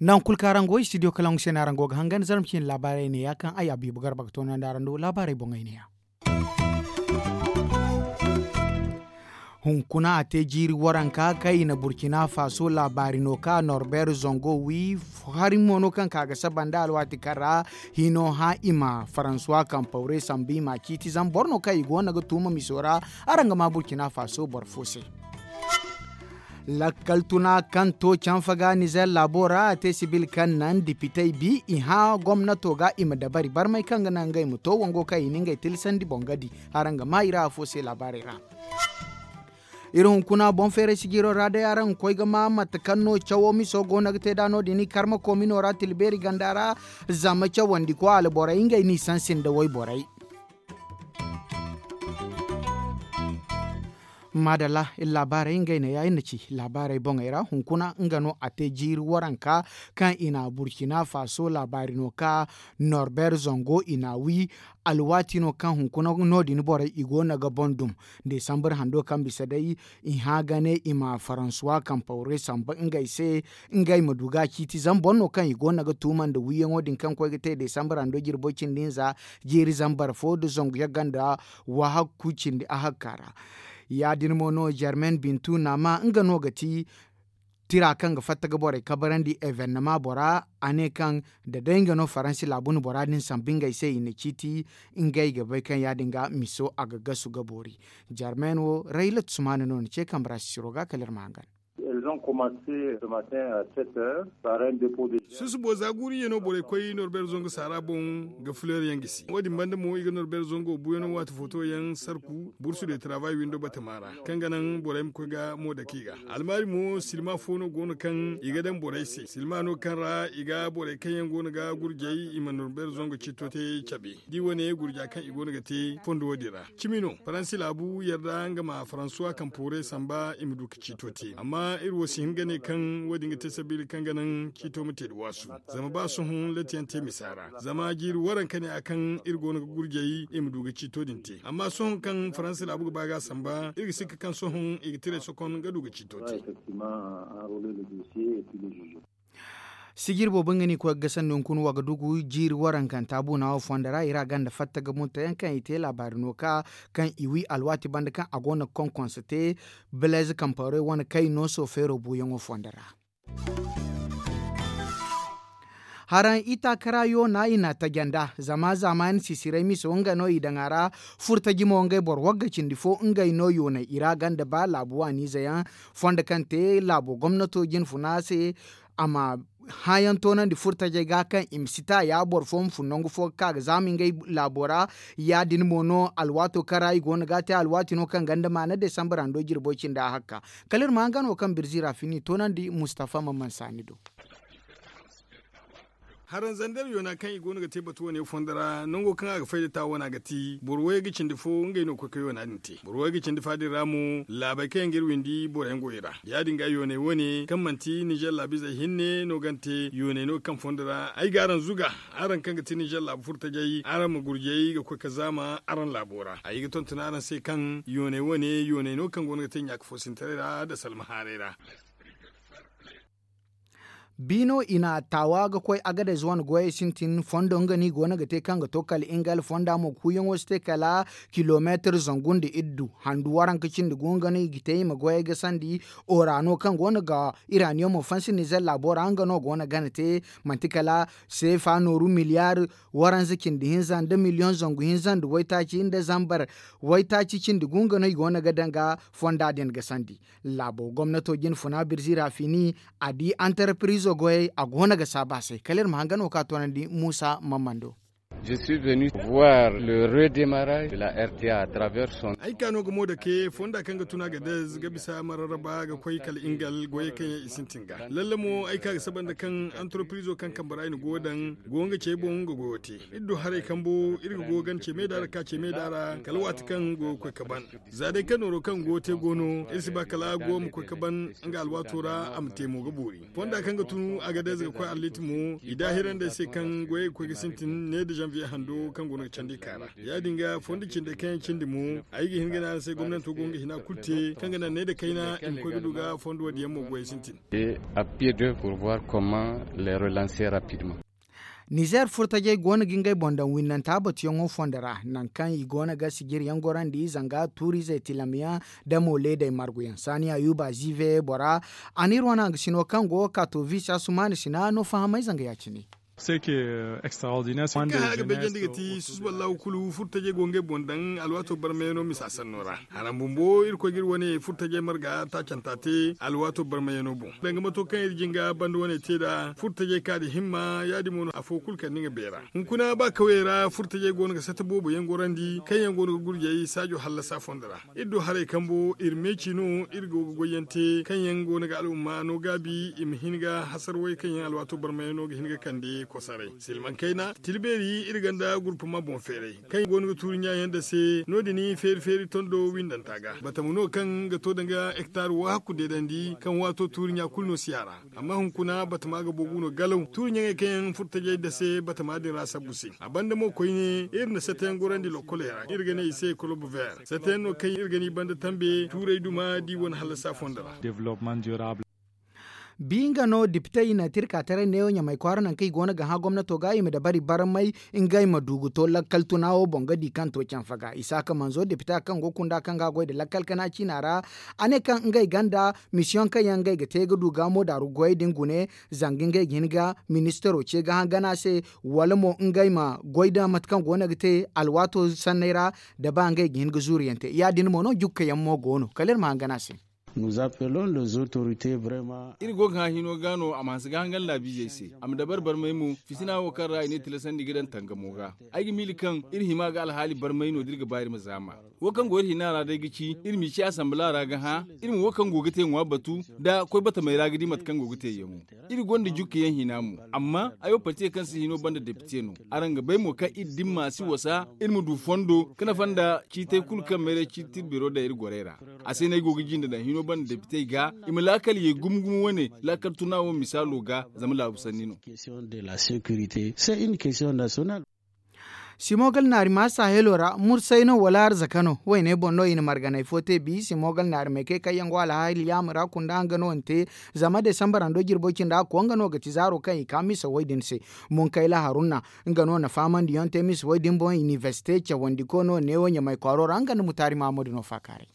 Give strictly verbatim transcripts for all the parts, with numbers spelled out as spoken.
Nangu kulu kaŋ araŋ go istidiyo kalaŋ se no araŋ go ga hangan zarma ciine laabaarey neeya kaŋ ay abiibu garba ga toonandi araŋ do laabaarey boŋey neeya. Hunkuna a te jiiri waranka kaŋ i na burkina faso laabaari no ka norbeer zango wi. Hari mo no kaŋ ka ga saba nda alwaati kaŋ ra hino hã i ma faransuwa kampawre sambu i ma ciiti zama boro no kaŋ i go no ga tuuma miso ra. Araŋ ga ma burkina faso boro fo se. Lakkal tuna kaŋ to canfa ga nizer laabo ra a te sibil kaŋ naŋ dipitey bi i hã gomnato ga i ma dabari barmay kaŋ ga naŋ ngey ma to wango kaŋ i na ngey tilsandi boŋ ga di. Araŋ ga ma i ra afo se laabaarey ra. Iri hunkuna boŋ feeray sijiro ra day araŋ ga koy ga ma mate kaŋ no cawo miso go no ga te nd'a no- din i karma koomino ra tilbeeri ganda ra. Zama cawandi ko alborey ngey n'i sansi nda wayborey. Maadalla iri laabaarey ngey neeya iri na ci laabaarey boŋey ra hunkuna nga no a te jiiri waranka kaŋ i na burkina faso laabaari no ka norbeer zango i na wi. Alwaati no kaŋ hunkuna no- din borey i go no ga boŋ dum. Desambar hando kaŋ bisa day i hã ga ne i ma faransuwa kampawre samba ngey se ngey ma du ga ciiti zama boro no kaŋ i go no ga tuuma nda wiyaŋo din kaŋ koy ga te desambar hando jirbo cindi hinza jiiri zambar fo nda zangu yagga nda wahakku cindi ahakka ra. Ya- din mo no germain bintu naama nga no ga ti tira kaŋ ga fatta ga borey kabarandi evennama bora a ne kaŋ da day nga no faransi laabu na bora din sambu ngey se i na ciiti ngey ga bay kaŋ ya- din ga miso a ga gasu ga boori. Germain wo raylat sumana no ni ce kambe ra sisiro ga kala iri ma hangan. Susubo za guuru iyye no borey koy norbeer zangu saara boŋ ga fuleer yaŋ gisi wo- din banda mo i ga norbeer zango buuyaŋo waati footo yaŋ sarku bursu de travay windo batama ra kaŋ ga naŋ borey ma koy ga mo dake i ga. Almaari mo silma fo no go no kaŋ i ga daŋ borey se silma no kaŋ ra i ga borey kaŋ yaŋ go no ga gurjay i ma norbeer zango ciito te cabe da i wane gurja kaŋ i go no ga te fondo wo- din ra. Cimi no faransi laabu yarda nga ma faransuwa kaŋ poore samba i ma du ga ciito te amma iri wo si hin ga ne kaŋ wo- din ga te sabiila kaŋ ga naŋ ciito ma te nda waasu. Zama ba sohõ latiyaŋ te misa ra zama jiiri waranka ne a kaŋ iri go no ga gurjay i ma du ga ciito din te amma sohõ kaŋ faransi laabu ga ba ga a samba iri ga sikka kaŋ sohõ i ga tiray sokon ga du ga ciito te. Sijir boobo nga no i koy ga gasandi hunkuna wagadugu jiiri warankanta buuna wo fondo ra i ra ganda fatta ga murtayaŋ kaŋ i te laabaari no ka kaŋ i wi alwaati banda kaŋ a go no ga konkonse te. Beleez kampawarey wane kaŋ i no soofeero buuyaŋo fondo ra. Haraŋ itaakara yoona i na taje nd'a zama zaamaani sisiray miso nga no i daŋ a ra. Furtaji mo ngey boro wagga cindi fo ngey no yoonay i ra ganda ba laabu waaniize yaŋ fondo kaŋ te laabo gomnato jinfuna se. A ma hãyaŋ toonandi furtajey ga kaŋ i ma si ta ya boro fo ma fun nangu fo ga ka ga zaama ngey laabo ra. Ya- din mo no alwaato kaŋ ra i go no ga a te alwaati no kaŋ ganda maana desambar hando jirbo cindi a hakka. Kala iri ma hangan wo kaŋ birzi ra fini toonandi mustafa ma mansa ni do. Haranzandar yoona kaŋ i go no ga te batu wane fondo ra nango kaŋ a ga fay da ta wana ga ti boro way ga cindi fo ngey no koy ka yoona din te boro way ga cindi fa din ra mo laabey kaŋ yaŋ ga iri windi boro yaŋ go i ra. Ya- din ga yooney wane kaŋ manti nizer laabu izey hinne no ga ni te yooney no kaŋ fondo ra ay ga araŋ zuga. Araŋ kaŋ ga ti nizer laabu furtajey araŋ ma gurjay ga koy ka zaama araŋ laabo ra ay ga tonton araŋ se kaŋ yooney wane yooney no kaŋ go no ga te ɲaaka foosintaray ra nda salma haaray ra. Biino i na taawa ga koy agadez wane goyey sintin fondo nga no i go no ga te kaŋ ga to kala ingal fonda mo kuuyaŋo si te kala kilomeetir zangu nda iddu handu waranka cindi gu nga no i ga te i ma goyey ga sandi. Orano kaŋ go no ga iraniyomo fansi nizer laabo ra nga no go no gana te manti kala seefa nooru miliyaar waranza cindi hinza nda miliyoŋ zangu hinza nda waytaaci nda zambar waytaaci cindi gu nga no i go no ga daŋ ga fonda din ga sandi. Laabo gomnato jinfuna birzi ra fini a di antarpirizo goyey a go no ga saabu a se kala iri ma hangan wo kaŋ a toonandi muusa mammando. Je suis venu voir le redémarrage de la R T A à travers son. Ay ka no ga mo dake fonda kaŋ ga tun a ga dez ga bisa mararraba ga koy kala ingal goyey kaŋ yaŋ i sintin ga lalle mo ay ka ga saba nda kaŋ antoropirizo kaŋ kambe ra i na goyo daŋ go nga ce boŋ ga goyo te. Iri du haray kambo iri ga goyo gana ce meeda ra ka ce meeda ra kala waati kaŋ goyo ga koy ga ban. Za day kaŋ nooro kaŋ goyo te go no iri si ba kala goyo ma koy ga ban nga alwaato ra a ma te mo ga boori. Fonda kaŋ ga tun a ga day za ga koy arlit mo i daahirandi ay se kaŋ goyey ga koy ga sintin ne da zanviye hando kaŋ go no ga candi ka ra. Ya- din ga fondo cindey kaŋ yaŋ cindi mo ay ga hin ga ne araŋ se gomnanto go nga hina kulu te kaŋ ga naŋ ne da kayna i ma koy ga du ga fondo wo- din yaŋ mo goyey sintin. A pied d'œuvre pour voir comment les relancer rapidement. Nizer furtajey go no ga ngey boŋ daŋ winnanta batuyaŋo fondo ra nangu kaŋ i go no ga sijiri yaŋ gorandi zanga tuuriizey tilamyaŋ da mo leedey marguyaŋ saani ayuba zive bora. A n'iri wane hangasino kaŋ go ga ka to visi asumaani sina no fahamay zanga ya- cine. Kaŋ haya ga beejandi ga ti susuballahu kulu furtajey go ngey boŋ daŋ alwaato barmayaŋo misa sanno ra. Haram bumbo irkoy ga iri wane furtajey marga taacanta te alwaato barmayaŋo boŋ danga mato kaŋ iri jinga banda wane te nd'a furtajey ka nda himma ya- din mo no afo kulu kande nga beera. Hunkuna ba kawyey ra furtajey go no ga sata boobo yaŋ gorandi kaŋ yaŋ go no ga gurjey saajo hallasa fondo ra. Iri du haray kambo iri meeci no iri go ga goyyaŋ te kaŋ yaŋ go no ga al'umma no gaabi i ma hin ga hasarwey kaŋ yaŋ alwaato barmayaŋo ga hin ga kande kosaray silmaŋ kayna tilbeeri iri ganda gurpama boŋ feeray kaŋ go no ga tuuri ɲa yaŋ da se no- din feeri feeri tondo windanta ga batama no kaŋ ga to danga hektar wo hakku deedandi kaŋ waato tuuri ɲa kulu no si a ra. Amma hunkuna batama ga boogu no galaw tuuri ɲaŋey kaŋ yaŋ furtajey da se batama din ra sabbu se a banda mo koyne iri na satayaŋ gorandi lokkoley ra iri ga ne i se kolob ver satayaŋ no kaŋ iri ga ne i banda tambe tuurey duma da i wane hallasa fondo ra. Bi nga no depite i na tirka taray neewo ɲamay kwaara nangu kaŋ i go no ga hã gomnato ga i ma dabari barmay ngey ma du ga to lakkal tuna wo boŋ ga di kaŋ to canfa ga isaaka manzo depite kaŋ go kunda kaŋ ga goy nda lakkal kana ciina ra. A ne kaŋ ngey ganda misiyoŋ kaŋ yaŋ ngey ga te ga du gaamo daaru goyey din gune zanga ngey ga hin ga ministaro ce ga hã gana se wala mo ngey ma goy nda mate kaŋ go no ga te alwaato sanney ra da ba ngey ga hin ga zuuriyaŋ te ya- din mo no jukkayaŋ mo go no kala iri ma hã gana se. Iri go ga hã hino ga no a ma hanse ga hangan laabiizey se a ma dabari barmay mo fitina wo kaŋ ra i ne tilasandi ga daŋ tangamo ga. Ay ga miila kaŋ iri hima ga alhaali barmay no da iri ga ba iri ma zaama. Wo kaŋ go iri hina ra day ga ci iri m'i ci asambala ra ga hã iri ma wo kaŋ go ga te ŋwa batu nda koy batamey ra ga di mate kaŋ go ga te yaŋo. Iri gonda jukka yaŋ hina mo amma ayo partiye kaŋ si hino banda depite no. Araŋ ga bay mo kaŋ iri dimma si wasa iri ma du fondo ga nafa nda ciitay kulu kaŋ mayray ciiti iri biro daŋ iri gorey ra. A se no ay go ga jinde daŋ hino banda depitey ga i ma laakal ye gumo gumo wane laakal tuna wo misaalo ga zama laabu sanni no. Simogal naari ma sahelo ra mursay no wala arzaka no wayne boŋ no i na marganay fo te bi simogal naari may kay kaŋ yaŋ go alhaali yaama ra kunda nga no ni te. Zama desambar hando jirbo cindi a koy nga no ga ti zaaro kaŋ i ka misa way din se. Munkayla haruna nga no na fahamandi yaŋ te misa way din boŋ iniversite cawandi ko no neewo ɲamay kwaaro ra nga nda mutaari mahammadu no faakaaray.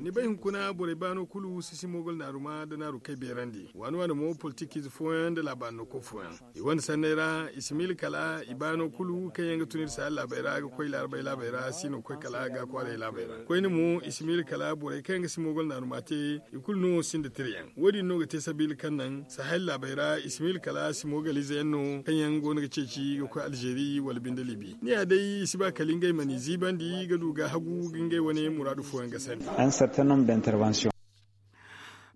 Ni bay hunkuna borey baano kulu si si mogol naaruma nda naaru kay beerandi waani waani mo politikiize fooyaŋ nda laabaari no koy fooyaŋ. I wane sanney ra i si miila kala i baano kulu kaŋ yaŋ ga tun iri saaya laabey ra ga koy laarabey laabey ra si no ga koy kala ga kwaaray laabey ra koyne mo i si miila kala borey kaŋ yaŋ ga si mogol naaruma te. I kulu no sinda tirayaŋ wo- din no ga te sabiila kaŋ naŋ sahel laabey ra i si miila kala simogalize yaŋ no kaŋ yaŋ go no ga ceeci ga koy alzeeri wala binde libi ni ya day i si ba kala ngey ma n'i ziibandi ga du ga hagu ga ngey wane muraadu fooyaŋ ga sandi.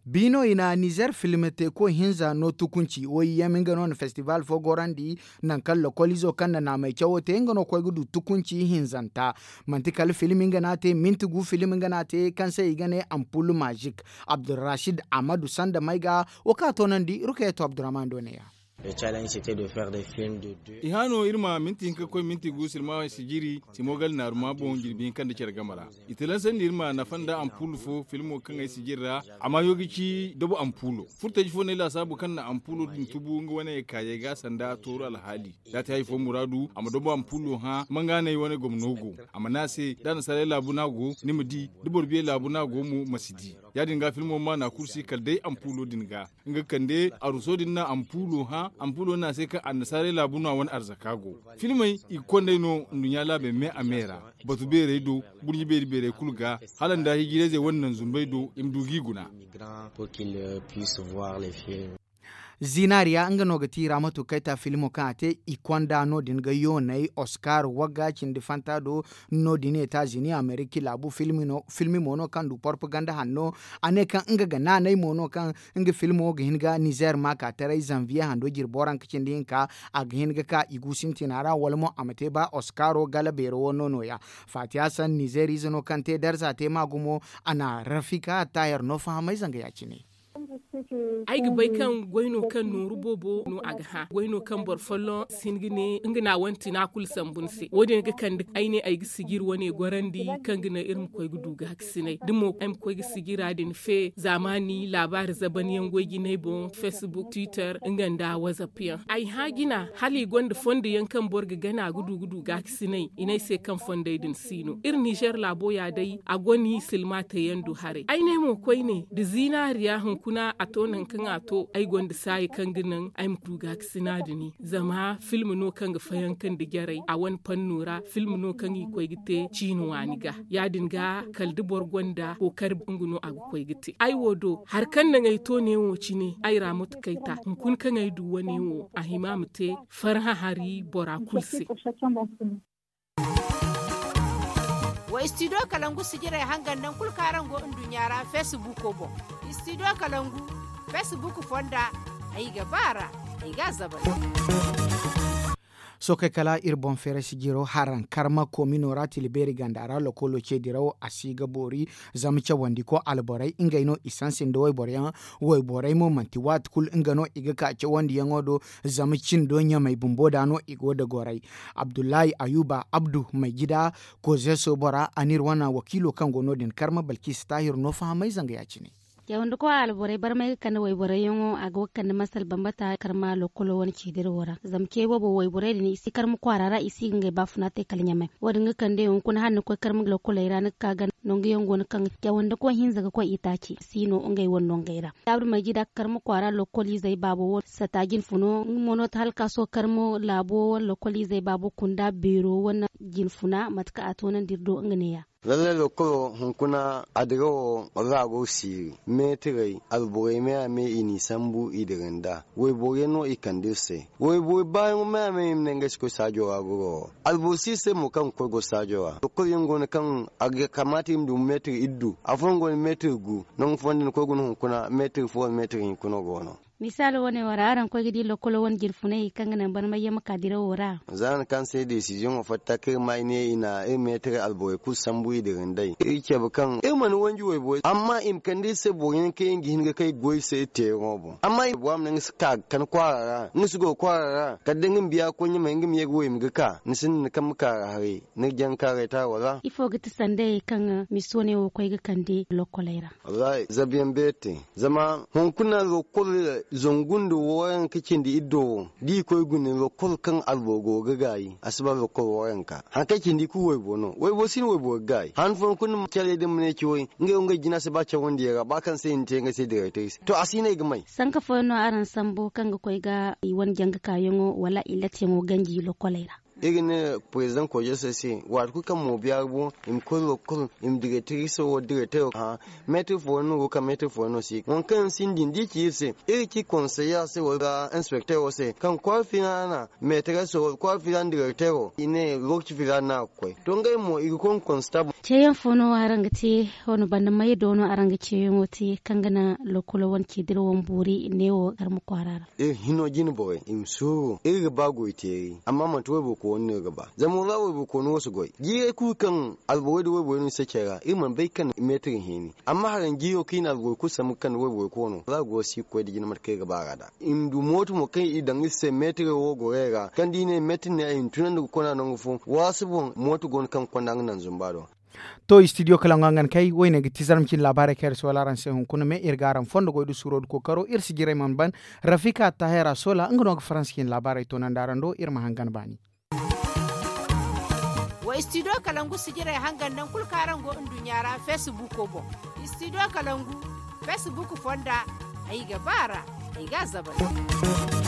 Biino i na nizer film teeko hinza no tukunci woy yam nga no na festival fo gorandi. Nangu kaŋ lokolizo kaŋ na naamay cawo te nga no koy ga du tukunci hinzanta. Manti kala film nga no a te minti gu film nga no a te kaŋ se i ga ne ampul mazik. Abdulrashid amadu sanda may ga wo kaŋ a toonandi rukayeto abdurrahman do ne ya. I hã no iri ma minti hinka ga koy minti gu sirma sijiri simogal naaruma boŋ jirbi hinka nda care game ra. I talansandi iri ma nafa nda ampul fo filmo kaŋ ay sijiri ra. A ma yo ga ci dobo ampulo furtaji fo no ay laasaabu kaŋ na ampulo din tubu nga wane kaayey ga sanda tooru alhaali. Da a te hari fo muraadu a ma dobo ampulo hã mangaanay wane gomno go. A ma ne a se da annasaarey laabu no a go ni ma di da boro biyey laabu no a go mo ma si di. Ya- din ga filmo ma na kursi kala day ampulo din ga nga ga kande aruso din na ampulo hã ampulo no a se kaŋ annasaarey laabu no a wane arzaka go. Filmey i ga kond'ey no nduɲɲa laabey me a me ra. Batu beerey do burɲi beeri beerey kulu ga hala nda hijirayzey wane naŋ zumbey do i ma du g'i guna. Zinaariya nga no ga ti raamatu kayta filmo kaŋ a te i konda no- din ga yoonay oskar wagga cindi fanta do. No- din etazini ameriki laabu filmi mo no kaŋ du porpaganda hanno. A ne kaŋ nga ga naanay mo no kaŋ nga filmo ga hin ga nizer ma ka taray zanviye hando jirbo ranka cindi hinka. A ga hin ga ka i gu sintina ra wala mo a ma te ba oskaro gala beero wo no no- ya. Fatiya san nizer ize no kaŋ te darza te ma gumo. A na rafika tayer no fahamay zanga ya- cine. Ay ga bay kaŋ goy no kaŋ nooru boobo no a ga hã goy no kaŋ boro folloŋ si hin ga ne nga na a wane tina kulu sambu ni se wo- din ga kande ay ne ay ga sijiri wane gorandi kaŋ ga naŋ iri ma koy ga du gaakasinay da mo ay ma koy ga sijira din fe zaamaani laabaari zaban yaŋ goy jinay boŋ facebook twitter nga nda wazap yaŋ ay hã jina hala i gonda fondo yaŋ kaŋ boro ga gana ga du ga du gaakasinay i ne ay se kaŋ fondey din si no iri nizer laabo ya day a go ni silma te yaŋ du haray ay ne mo koyne da zinaariya hunkuna a to nangu kaŋ a to ay gonda saayi kaŋ ga naŋ ay ma du gaakasina din zama film no kaŋ ga fayanka nda jarey a wane panno ra film no kaŋ i koy ga te ciina waani ga ya- din ga kala da boro gonda kookari nga no a ga koy ga te ay wo do hari kaŋ naŋ ay to neewo cine ay ra mate kayta hunkuna kaŋ ay du wane wo a hima ma te farhã hari bora kulu se. Wa istidiyo kalangu sijirey hangan naŋ kulu kaŋ araŋ go nduɲɲa ra feesibuuko boŋ. Istidiyo kalangu feesibuuku fonda ay ga ba a ra ay ga a zabay. Sookey kala iri boŋ feeray sijiro haraŋ karma koomino ra tila beeri ganda ra lokolo ce diraw a si ga boori. Zama cawandi ko alborey ngey no i sansi nda wayboryaŋ. Wayborey mo manti waati kulu nga no i ga ka cawandiyaŋo do. Zama cindo ɲamey bumbo da no i go da goray. Abdullahi ayuba abdu may jida kozeso bora a n'iri wane wakiilo kaŋ go no- din karma balkisa taahir no fahamay zanga ya- cine. Cawandi koy alborey barmay ga kande wayborey yaŋo a go ga kande masal bambata karma lokolo wane ceediro wo ra zama ce boobo wayborey din i si karma kwaara ra i si ga ngey baafuna te kala ɲamey. Wo- din ga kande hunkuna hala ni koy karma lokoley ra ni ga ka ganda nangu yaŋ go no kaŋ cawandi koy hinza ga koy itaaci si no ngey wane nongey ra. Abdu may jida karma kwaara lokoliizey baabo wo sata jinfuno nga mo no ti hala ka sohõ karma laabo wane lokoliizey baabo kunda beero wane jinfuna mate kaŋ a toonandi iri do nga ne- ya. Lallay lokolo hunkuna adira wo ra go siiri meetirey alborey me a me i n'i sambu i dira nda wayboro yaŋ no i kande iri se. Wayboro baayaŋo me a me i ma ne ngey si koy saajo ra goro wo alboro si iri se mo kaŋ ga koy goro saajo ra lokolo yaŋ go no kaŋ a ga kamaata i ma du meetir iddu afooyaŋ go no meetir gu. Nangu fooyaŋ da ni koy guna hunkuna meetir fo wala meetir hinka no go no. Misaalo wane wo ra araŋ koy ga di lokolo wane jinfunay kaŋ ga naŋ barmay yaŋ ma ka dirawo ra. Za ni kaŋ se desiziyoŋo fatta kaŋ iri ma i ne i na iri meetir alborey kulu sambu i dira nd'ey iri cabe kaŋ iri mana wanji wayborey amma i ma kande iri se boro yaŋ kaŋ yaŋ ga hin ga kay goy se iri teeraŋo boŋ amma iri bora ma ne nga si ka ga kande kwaara ra nga si goro kwaara ra kala day nga ma biya ga koy ɲamey nga ma ye ga wo i ma ga ka ni sinda ni kaŋ ma kaara haray. Ni ga jaŋ ga ka raytaaro ra. Ifo ga ti sanday kaŋ miso ne wo koy ga kande lokoley ra? Wallahi zabiyaŋ beeri te. Zama hunkuna lokol zangu nda waranka cindi iddo wo da i koy guna lokol kaŋ alboro go ga gaayi a si ba lokol waranka hari kaŋ cindi kulu waybo no waybo si no waybo ga gaayi han fooyaŋ kulu ni ma care din ma ne ci way. Ngey wo ngey jina si ba cawandi yaŋ ra ba kaŋ se i na te ngey se directrice to a si no ay ga may. Sanka fooyaŋ no araŋ sambu kaŋ ga koy ga i wane janga kaayaŋo wala i latiyaŋo ganji lokoley ra? Iri ga ne president kojeso se waati kulu kaŋ mo biyaari bo i ma koy lokol i ma directrice wo directeur hã. Meetir fooyaŋ no go ka meetir fooyaŋ no si waŋ kaŋ yaŋ sinda din da i ci iri se iri ga ci konseye se wala inspectero se kaŋ kwaara filaana meetereso wala kwaara filaana direktero i ne lookaci filaana no a ga koy to ngey mo i ga koy nga konstabul. Ceeyaŋ fo no araŋ ga te? Wane banda may do no araŋ ga ceeyaŋo te kaŋ ga naŋ lokolo wane ceedira wane boori neewo karma kwaara ra? Iri hino jine borey i ma suuru iri ga ba goy teeri amma manti wayborey koonu no iri ga ba zama wala wayborey koonu wo si goy jiirey kulu kaŋ alborey nda wayborey no i sacey ra iri mana bay kaŋ meetir hinne amma haraŋ jiiro kaŋ i na alborey kulu sambu ga kande wayborey koono wala goro si ga koy nda jine mate kaŋ iri ga ba a ra nd'a. I ma du mooto mo kaŋ i daŋ iri se meetirey wo gorey ra kaŋ da i ne meetir ne ay ma tunandi ga kona nangu fo waasi boŋ mooto go no kaŋ ga konda nga naŋ zumba do. To istidiyo kalaŋ ga hangan kay woyne ga ti zarma cine laabaarey kaŋ iri si wala araŋ se hunkuna me iri ga araŋ fondo goy da suuro da kookaro iri si jiray mana ban. Rafika tahera sola nga no ga faransa cine laabaarey toonandi araŋ do iri ma hangan baani. Wa istidiyo kalangu sijirey hangan naŋ kulu kaŋ araŋ go nduɲɲa ra feesibuuko boŋ. Istidiyo kalangu feesibuuku fonda ay ga ba a ra ay ga a zabay.